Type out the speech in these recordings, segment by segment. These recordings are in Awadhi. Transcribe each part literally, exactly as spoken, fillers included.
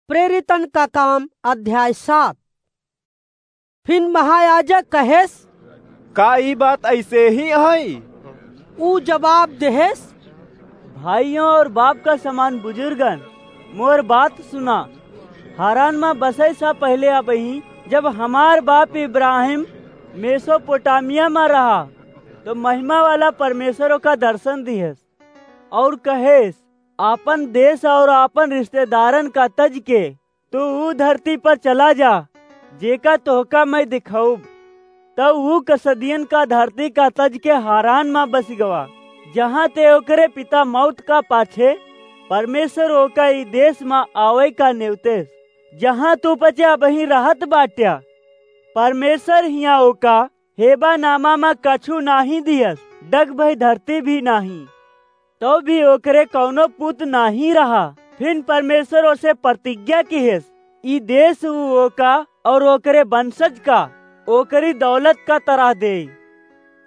प्रेरितन का काम अध्याय सात। फिन महायाजक कहेस, "का ई बात ऐसे ही है?" ऊ जवाब देहेस, "भाइयों और बाप का समान बुजुर्गन, मोर बात सुना। हारान मा बसै सा पहले अबही, जब हमार बाप इब्राहिम मेसोपोटामिया मा रहा, तो महिमा वाला परमेश्वर ओका दर्शन दिहेस और कहेस, 'आपन देश और आपन रिश्तेदारन का तज के तू ऊ धरती पर चला जा, जेका तोहका मैं दिखाऊब।' तब ऊ कसदियन का धरती का तज के हारान मा बस गवा, जहाँ ते ओकरे पिता मौत का पाछे परमेश्वर ओका ई देश मा आवै का नेवतेस, जहाँ तू पचे अबही रहत बाट्या। परमेश्वर हियाँ ओका हेबा नामा मा कछु नाही दियस, डग भई धरती भी नाही। तो भी ओकरे कौनो पुत नाही रहा। फिन परमेश्वर ओसे प्रतिज्ञा किहेस, ई देश ऊ ओका और ओकरे वंशज का ओकरी दौलत का तरह दे।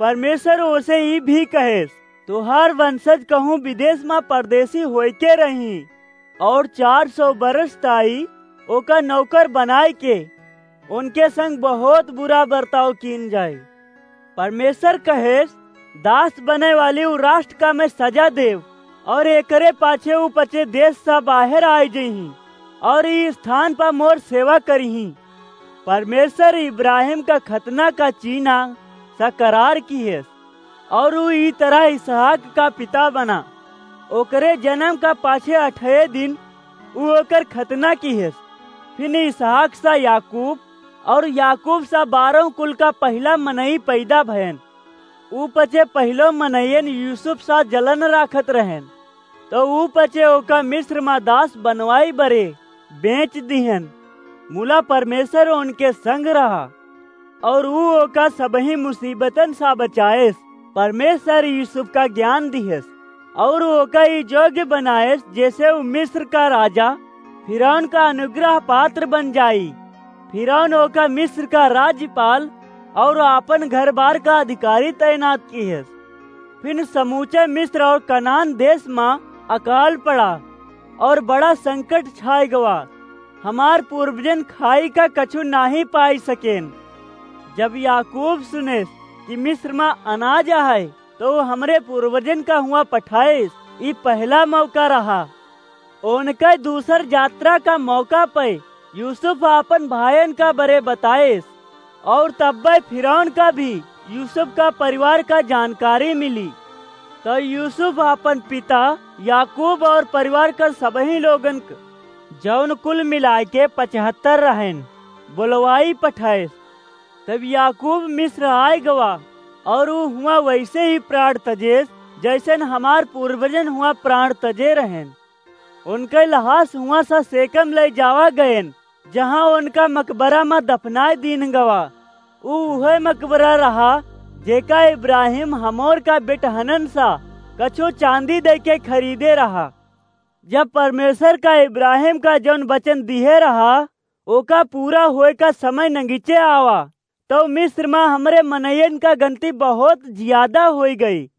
परमेश्वर ओसे ई भी कहेस, तोहार वंशज कहूँ विदेश मा परदेसी होइके रही और चार सौ बरस ताई ओका नौकर बनाए के उनके संग बहुत बुरा बर्ताव कीन जाए। परमेश्वर कहेस, दास बने वाली उ राष्ट्र का मैं सजा देव और एकरे पाछे उ पचे देश सा बाहर आए जइहीं और ई स्थान पर मोर सेवा करिहीं। परमेश्वर इब्राहिम का खतना का चीना सा करार किहेस और उ ई तरह इसहाक का पिता बना। ओकरे जन्म का पाछे अठे दिन उ ओकर खतना किहेस। फिन इसहाक सा याकूब और याकूब सा बारह कुल का पहिला मनई पैदा भयन। ऊ पचे पहिलो मनइयन यूसुफ सा जलन राखत रहन, तो ऊ पचे ओका मिस्र मा दास बनवाई बरे बेच दिहन। मुला परमेश्वर उनके संग रहा और ऊ ओका सबही मुसीबतन सा बचाएस। परमेश्वर यूसुफ का ज्ञान दिहेस और ओका ई योग्य बनाएस, जैसे ऊ मिस्र का राजा फिरौन का अनुग्रह पात्र बन जाई। फिरौन ओका मिस्र का राज्यपाल और आपन घर बार का अधिकारी तैनात किहेस। फिन समूचे मिस्र और कनान देश मा अकाल पड़ा और बड़ा संकट छाए गवा। हमार पूर्वजन खाई का कछु नाही पाई सकेन। जब याकूब सुनेस कि मिस्र मा अनाज आहे, तो ऊ हमरे पूर्वजन का हुआ पठाएस। ई पहला मौका रहा। उनके दूसर यात्रा का मौका पे यूसुफ आपन भायन का बरे बताएस और तब्बे फिरौन का भी यूसुफ का परिवार का जानकारी मिली। तो यूसुफ आपन पिता याकूब और परिवार का सबही लोगन क, जौन कुल मिलाए के पचहत्तर रहन, बोलवाई पठाएस। तब याकूब मिस्र आए गवा और ऊ हुआ वैसे ही प्राण तजेस, जैसन हमार पूर्वजन हुआ प्राण तजे रहन। उनके लहास हुआ सा सेकम ले जावा गयन, जहाँ उनका मकबरा मा दफनाए दीन गवा। ऊ उहे मकबरा रहा, जेका इब्राहिम हमोर का बेटहनन सा कछु चांदी दे के खरीदे रहा। जब परमेश्वर का इब्राहिम का जौन वचन दिहे रहा, ओका पूरा होए का समय नगीचे आवा, तो मिस्र मा हमरे मनइयन का गनती बहुत ज्यादा होई गई।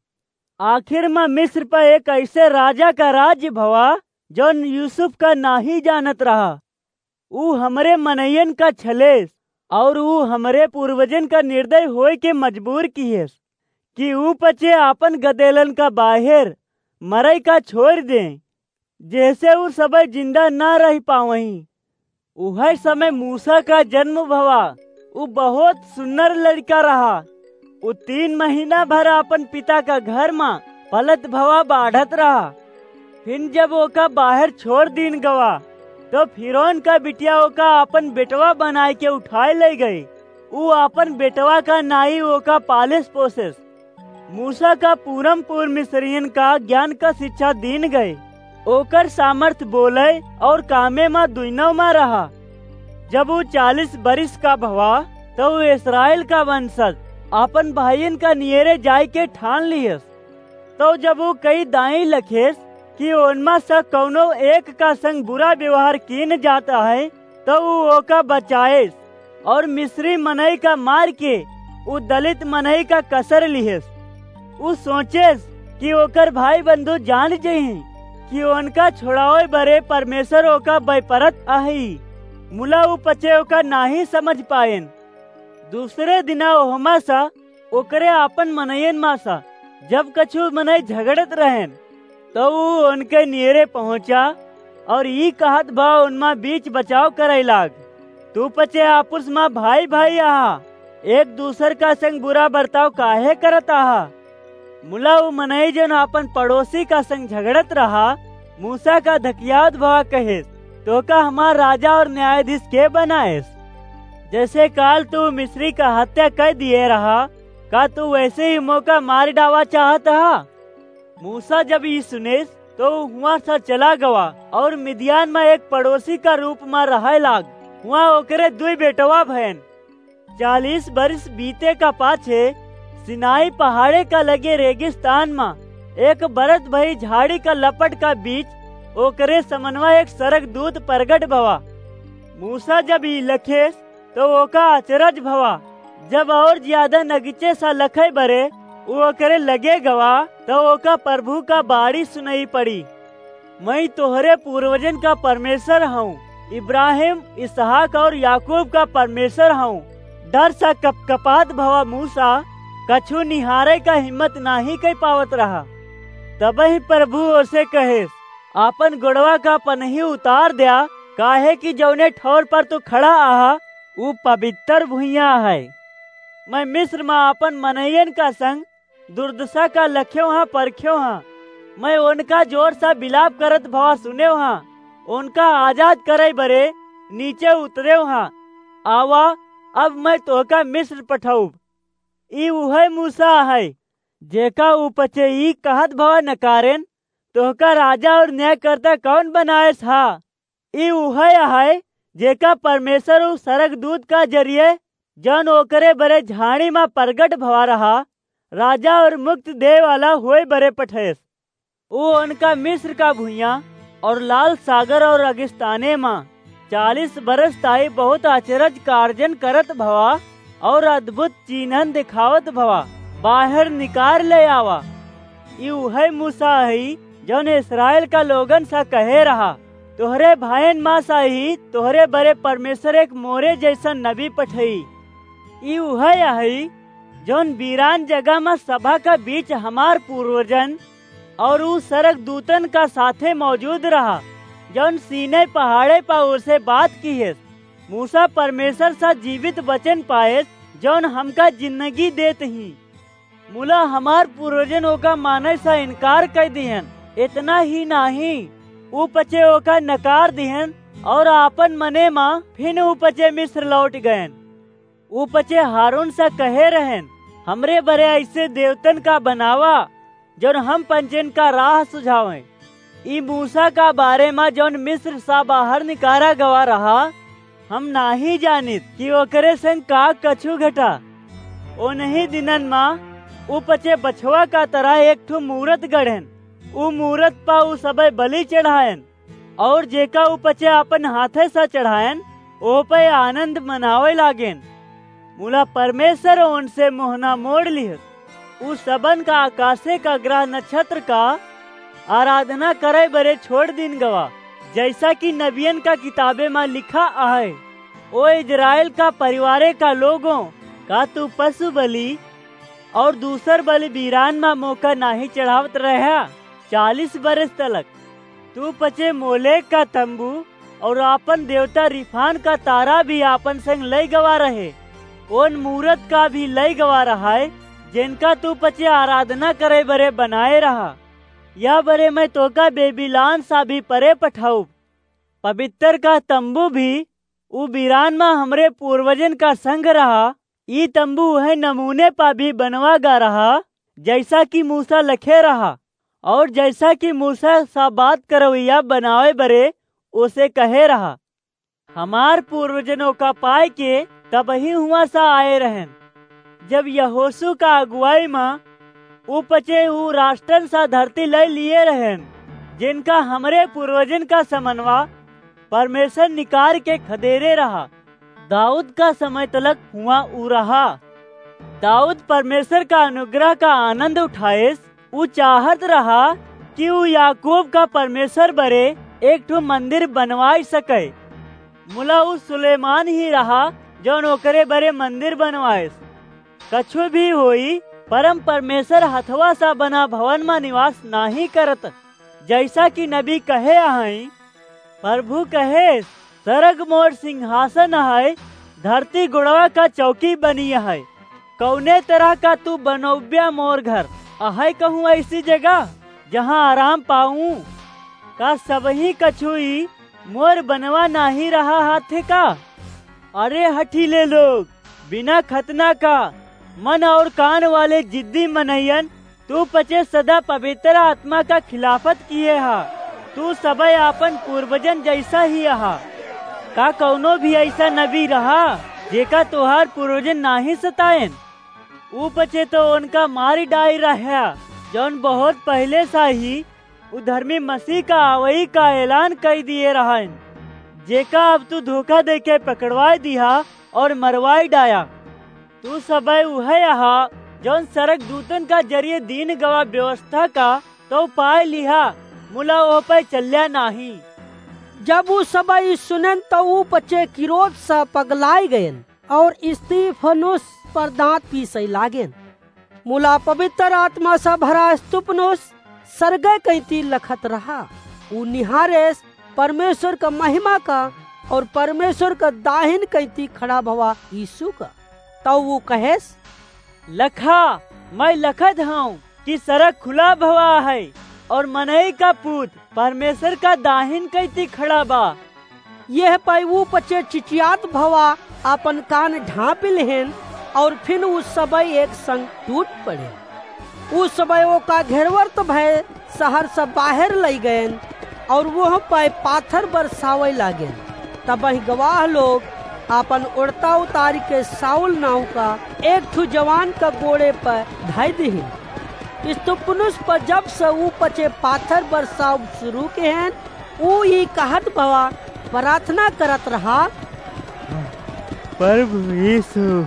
आखिर मा मिस्र पर एक ऐसे राजा का राज्य भवा, जौन यूसुफ का नाही जानत रहा। ऊ हमरे मनइयन का छलेस और ऊ हमरे पूर्वजन का निर्दय होए के मजबूर किहेस कि ऊ पचे आपन गदेलन का बाहेर मरई का छोड़ दें, जैसे ऊ सबे जिंदा ना रह पावहीं। उहे समय मूसा का जन्म भवा। ऊ बहुत सुन्नर लड़का रहा। ऊ तीन महीना भर आपन पिता का घर मा पलत भवा बाढ़त रहा। फिन जब ओका बाहर छोड़ दीन गवा, तो फिरौन का बिटिया ओका आपन बेटवा बनाए के उठाए ले गई। ऊ आपन बेटवा का नाई ओका पालेस पोसेस। मूसा का पूरम पूर मिस्रियन का ज्ञान का शिक्षा दीन गए। ओकर सामर्थ बोले और कामे मा दुइनो मा रहा। जब ऊ चालीस बरिस का भवा, तो ऊ इस्राएल का वंशज आपन भाइयन का नियरे जाए के ठान लियस। तो जब ऊ कई दाई लखेस कि ओनमा से कौनो एक का संग बुरा व्यवहार कीन जाता है, तो ऊ ओका बचाएस और मिस्री मनई का मार के ऊ दलित मनई का कसर लिहेस। ऊ सोचेस कि ओकर भाई बंधु जान जइहीं, कि ओनका छोड़ावे बरे परमेश्वर ओका बैपरत अहइ। मुला उ पचे ओका नाहीं समझ पाएन। दूसरे दिना ओहमा सा ओकरे आपन मनयन मा सा जब कछु मनई झगड़त रहेन, तो उ ओनके नियरे पहुँचा और ई कहत भा ओनमा बीच बचाव करइ लाग, "तू पचे आपुस मा भाई भाई आहा, एक दूसर का संग बुरा बर्ताव काहे करत आहा?" मुला उ मनई जौन आपन पड़ोसी का संग झगड़त रहा, मूसा का धकियावत भवा कहेस, "तोका हमार राजा और न्यायाधीश के बनाएस? जैसे काल तू मिस्री का हत्या कर दिए रहा, का तू वैसे ही मोका मार डावा चाहत हा?" मूसा जब ई सुनेस, तो उ हुआं से चला गवा और मिदियान में एक पड़ोसी का रूप में रहै लाग। हुआं ओकरे दुई बेटवा भयन। चालीस बरिस बीते का पाछे सिनाई पहाड़े का लगे रेगिस्तान में एक बरत भई झाड़ी का लपट का बीच ओकरे समनवा एक सरग दूत प्रगट भवा। मूसा जब ई लखेस, तो ओका अचरज भवा। जब और ज्यादा नगीचे सा लखै बरे उ ओकरे लगे गवा, तो ओका प्रभु का बाणी सुनई पड़ी, "मैं तोहरे पूर्वजन का परमेश्वर हूँ, इब्राहिम, इसहाक और याकूब का परमेश्वर हूँ।" डर सा कपकपात भवा मूसा कछु निहारे का हिम्मत नाहीं कइ पावत रहा। तबही प्रभु ओसे कहेस, "आपन गोड़वा का पनही उतार द्या, काहे कि जौने ठौर पर तू खड़ा आहा, उ पवित्र भुइयां है। मैं मिस्र में आपन मनइयन का संग दुर्दशा का लख्यो हाँ, परख्यो हाँ। मैं ओनका जोर सा बिलाप करत भवा सुन्यो हाँ। ओनका आजाद करइ बरे नीचे उतर्यो हाँ। आवा, अब मैं तोहका मिस्र पठउब।" ई उहइ मूसा अहइ, जेका उ पचे ई कहत भवा नकारेन, "तोहका राजा और न्यायकर्ता कौन बनाएस हा?" ई उहइ अहइ, जेका परमेश्वर उ सरगदूत का जरिए, जौन ओकरे बरे झाड़ी मा प्रगट भवा रहा, राजा और मुक्त देवे वाला होए बरे पठेस। उ ओनका मिस्र का भुइयां और लाल सागर और रेगिस्ताने मा चालीस बरस ताई बहुत अचरज कार्जन करत भवा और अद्भुत चिन्हन दिखावत भवा, बाहर निकार ले आवा। ई उहइ मूसा हई, जौन इस्राएल का लोगन सा कहे रहा, "तोहरे भाईन मा सा ही तोहरे बरे परमेश्वर एक मोरे जैसन नबी पठई।" ई उहइ अहइ, जौन बीरान जगह मा सभा का बीच हमार पूर्वजन और उ सरगदूतन का साथे मौजूद रहा, जौन सीनै पहाड़े पा ओसे बात किहेस। मूसा परमेश्वर सा जीवित वचन पाएस, जौन हमका जिंदगी देत ही। मुला हमार पूर्वजन ओका मानै सा इनकार कइ दिहन। इतना ही नाहीं, उ पचे ओका नकार दिहन और आपन मने मा फिन उ पचे मिस्र लौट गयन। उ पचे हारून सा कहे रहेन, "हमरे बरे ऐसे देवतन का बनावा, जौन हम पंचन का राह सुझावें।" ई मूसा का बारे मा जौन मिस्र सा बाहर निकारा गवा रहा, हम नाहीं जानित कि ओकरे संग का कछु घटा। ओनही दिनन मा उ पचे बछवा का तरह एक ठो मूरत गढ़ेन। उ मूरत पा उ सबे बलि चढ़ाएन, और जेका उ पचे आपन हाथे सा चढ़ाएन, ओह पे आनंद मनावे लागेन। मुला परमेश्वर ओनसे मोहना मोड़ लिहस। उ सबन का आकाशे का ग्रह नक्षत्र का आराधना करे बरे छोड़ दिन गवा, जैसा कि नबियन का किताबे मा लिखा आहे, "ओ इजराइल का परिवारे का लोगों, का तू पशु बलि और दूसर बलि बीरान मा मोका नाहीं चढ़ावत रह्या चालीस बरस तलक? तू पचे मोलेक का तंबू और आपन देवता रिफान का तारा भी आपन संग लइ गवा रहे, ओन मूरत का भी लइ गवा रहा है, जिनका तू पचे आराधना करे बरे बनाए रहा। या बरे मैं तोका बेबीलान सा भी परे पठाउब। पवित्र का तंबू भी उ बीरान मा हमरे पूर्वजन का संग रहा। ई तंबू उहै नमूने पा भी बनवा गा रहा, जैसा कि मूसा लखे रहा, और जैसा कि मूसा सा बात करवैया बनावे बरे ओसे कहे रहा।" हमार पूर्वजन ओका पाए के तबही हुआं सा आए रहन। जब यहोशू का अगुवाई मा उ पचे उ राष्ट्रन सा धरती लइ लिए रहन, जिनका हमरे पूर्वजन का समनवा परमेश्वर निकार के खदेरे रहा। दाऊद का समय तलक हुआं उ रहा। दाऊद परमेश्वर का अनुग्रह का आनंद उठाएस। उ चाहत रहा कि ऊ याकूब का परमेश्वर बरे एक ठो मंदिर बनवाइ सके। मुला ऊ सुलेमान ही रहा, जौन ओकरे बरे मंदिर बनवाइस। कछु भी होई, परम परमेश्वर हथवा सा बना भवन मा निवास नाहीं करत। जैसा कि नबी कहे अहइँ, प्रभु कहे, "सरग मोर सिंहासन अहइ, धरती गोड़वा का चौकी बनी अहइ। कौने तरह का तू बनौब्या मोर घर? अहइ कहूँ ऐसी जगह, जहाँ आराम पाऊँ? का सबही कछुई मोर बनवा नाहीं रहा हाथे का?" अरे हठीले लोग, बिना खतना का मन और कान वाले जिद्दी मनइयन, तू पचे सदा पवित्र आत्मा का खिलाफत किहे हा। तू सबइ आपन पूर्वजन जैसा ही अहा। का कौनो भी ऐसा नबी रहा, जेका तोहार पूर्वजन नाहीं सतायन? ऊ पचे तो उनका मारी डाइ रह्या, जौन बहुत पहिले सा ही उ धर्मी मसीह का आवई का ऐलान कइ दिए रहन, जेका अब तू धोखा देके पकड़वाइ दिहा और मरवाइ डाया। तू सबइ उहइ अहा, जौन सरग दूतन का जरिए दीन गवा व्यवस्था का तो पाइ लिहा, मुला ओह पइ चल्या नाहीं। जब उ सबइ ई सुनेन, तो उ पचे किरोध सा पगलाइ गएन और स्तिफनुस पर दाँत पीसइ लागेन। मुला पवित्र आत्मा सा भरा स्तिफनुस सरगइ कइती लखत रहा। उ निहारेस परमेश्वर का महिमा का और परमेश्वर का दाहिन कइती खड़ा भवा यीशु का। तउ उ कहेस, "लखा, मइँ लखत हौं कि सरग खुला भवा है और मनई का पूत परमेश्वर का दाहिन कइती खड़ा बा।" यह पइ उ पचे चिचियात भवा आपन कान ढाँपि लिहेन और फिन उ सबइ एक संग टूट पड़ेन। उ सबइ ओका घेरवर्त भए सहर से बाहेर लइ गएन और वोह पइ पाथर बरसावइ लागेन। तबहिं गवाह लोग आपन ओड़ता उतारि के साउल नाउँ का एक ठु जवान का गोड़े पइ धइ दिहिन। स्तिफनुस पर जब से उ पचे पाथर बरसाव सुरू किहेन, उ ई कहत भवा प्रार्थना करत रहा, "प्रभु यीशु,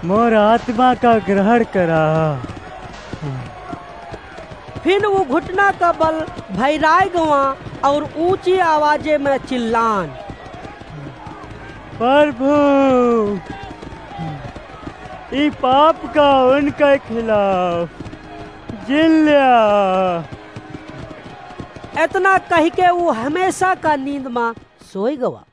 मोर आत्मा का ग्रहण करा।" फिन उ घुटना का बल भइराइ गवा और ऊँची आवाजे में चिल्लान, "प्रभु, ई पाप का उनके खिलाफ जिन ल्या।" एतना कहिके उ हमेशा का नींद मा सोइ गवा।